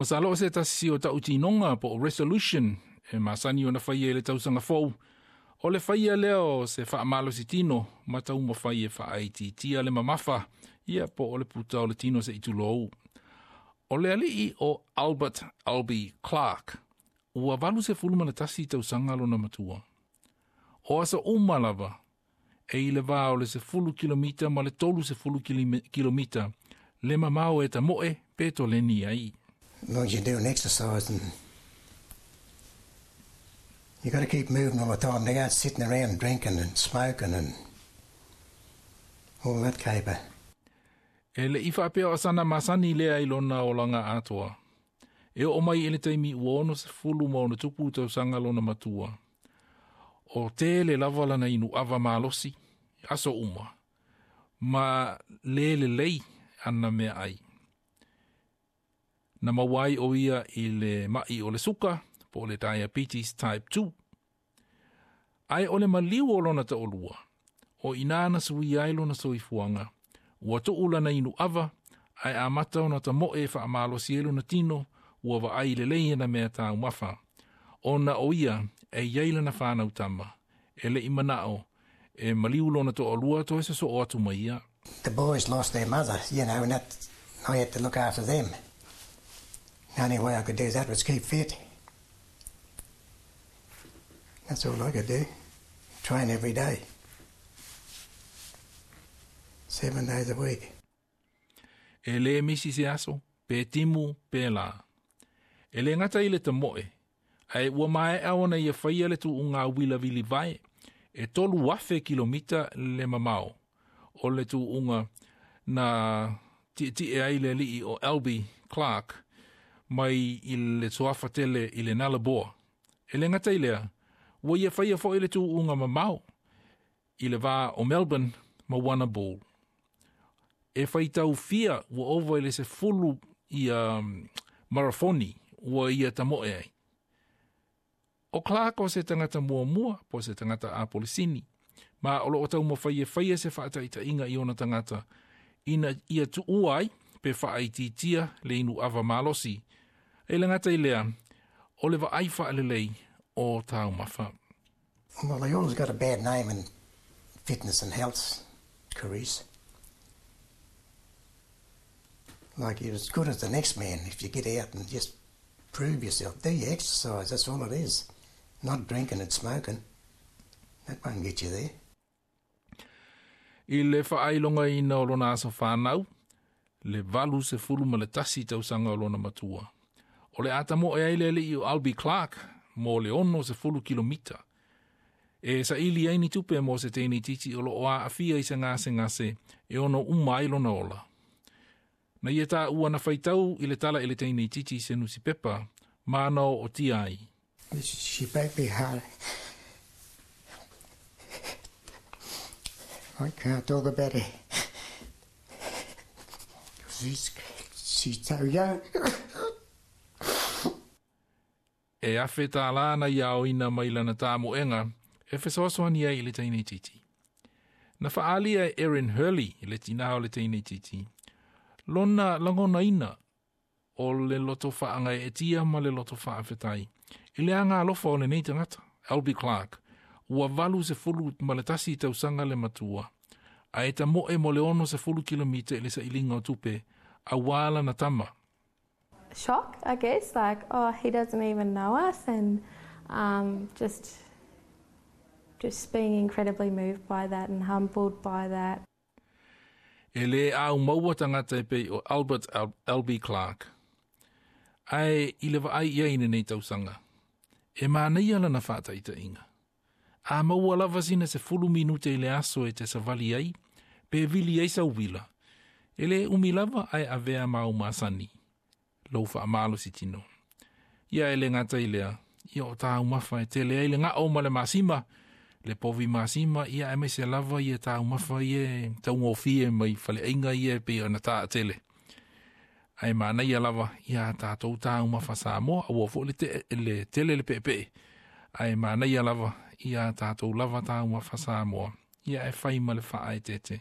Masalo o se tasi o ta'utinoga po o resolution e masani ona faia i le tausaga fou. O le faia lea o se fa'amalositino ma taumafai e fa'aitiitia le mamafa ia po o le puta o le tino se'i tulou. O le ali'i o Albert Albie Clark ua 81 tausaga lona matua. O aso uma lava e i le va o le 10 kilomita ma le 30 kilomita le mamao e tamo'e pe toleni ai. As long as you're doing exercise and you got to keep moving all the time. They aren't sitting around drinking and smoking and all that caper. E le'i fa'apea o sana masani lea i lona olaga atoa. E oo mai i le taimi ua 66 tausaga lona matua. O tele lava lana inu ava malosi, aso uma, ma lē lelei ana meaai. Na maua ai o ia i le ma'i o le suka, po o le diabetes type 2. Ae o le maliu o lona ta'olua, o inā na suia ai lona soifuaga, ua tu'u lana inu ava, ae amata ona tamo'e e fa'amalosi ai lona tino, ua va'ai lelei ana mea taumafa. Ona o ia e iai lana fanau tama, e le'i mana'o, e maliu lona to'alua toe soso'o atu ma ia. The boys lost their mother, and that I had to look after them. The only way I could do that was keep fit. That's all I could do. Train every day. 7 days a week. E lē misi se aso, pe timu, pe lā. E lē gata i le tamo'e, ae ua mae'a ona ia faia le tu'uga uila vilivae, e 3,000 kilomita le mamao. O le tu'uga na ti'eti'e ai le ali'i o Albie Clark mai i le suafa tele i le Nullarbor. E lē gata i lea, ua ia faia fo'i le tu'uga mamao i le va o Melbourne ma Warrnambool. E faitau fia ua ova i le 10 ia marafoni ua ia tamo'e ai. O Clark o se tagata muamua po se tagata apolisini, ma o lo'o taumafai e faia se fa'ata'ita'iga i ona tagata ina ia tu'ua ai pe fa'aitiitia le inu ava malosi. E lē gata i lea, o le va'ai fa'alelei o taumafa. Well, they always got a bad name in fitness and health careers. Like you're as good as the next man if you get out and just prove yourself. Do your exercise, that's all it is. Not drinking and smoking. That won't get you there. I le fa'ailogaina o lona aso fanau, le 81 tausaga o lona matua. O le a tamo'e ai le ali'i o Albie Clark mo le 60 kilomita. E sa'ili ai ni tupe mo se teine itiiti o lo'o a'afia i se gasegase e ono uma ai lona ola. Na ia tāua na faitau i le tala i le teine itiiti i se nusipepa, ma na o tia ai. She broke my heart. I can't talk about it. She's so young. E $1,000 na ia aoina mai lana tāmo'ega e fesoasoani ai i le teine itiiti. Na fa'aalia e Erin Hurley i le tinā o le teine itiiti. Lona lagonaina o le loto fa'agae'etia ma le loto fa'afetai. I le aga alofa o lenei tagata, Albie Clark, ua 81 tausaga le matua, ae tamo'e mo le 60 kilomita i le sa'iliga o tupe, auā lana tama. Shock, I guess, like, oh, he doesn't even know us, and just being incredibly moved by that and humbled by that. E lē au maua tagata e pei o Albert Albie Clark. Ae i le va'ai ia i lenei tausaga. E manaia lana fa'ata'ita'iga. A maua lava sina 10 minute i le aso e te savali ai, pe vili ai sau uila. E lē umi lava ae avea mau masani. Lou fa'amalosi tino. Ia e lē gata i lea, ia o taumafa e tele ai le ga'o ma le masima, le povi masima, ia aemaise lava ia taumafa ia e taugofie mai faleaiga ia e pei ona ta'atele. Ae manaia lava ia tatou taumafa Samoa, aua fo'i le, te, le tele le pe'epe'e. Ae manaia lava ia tatou lava taumafa Samoa, ia e fai ma le fa'aeteete.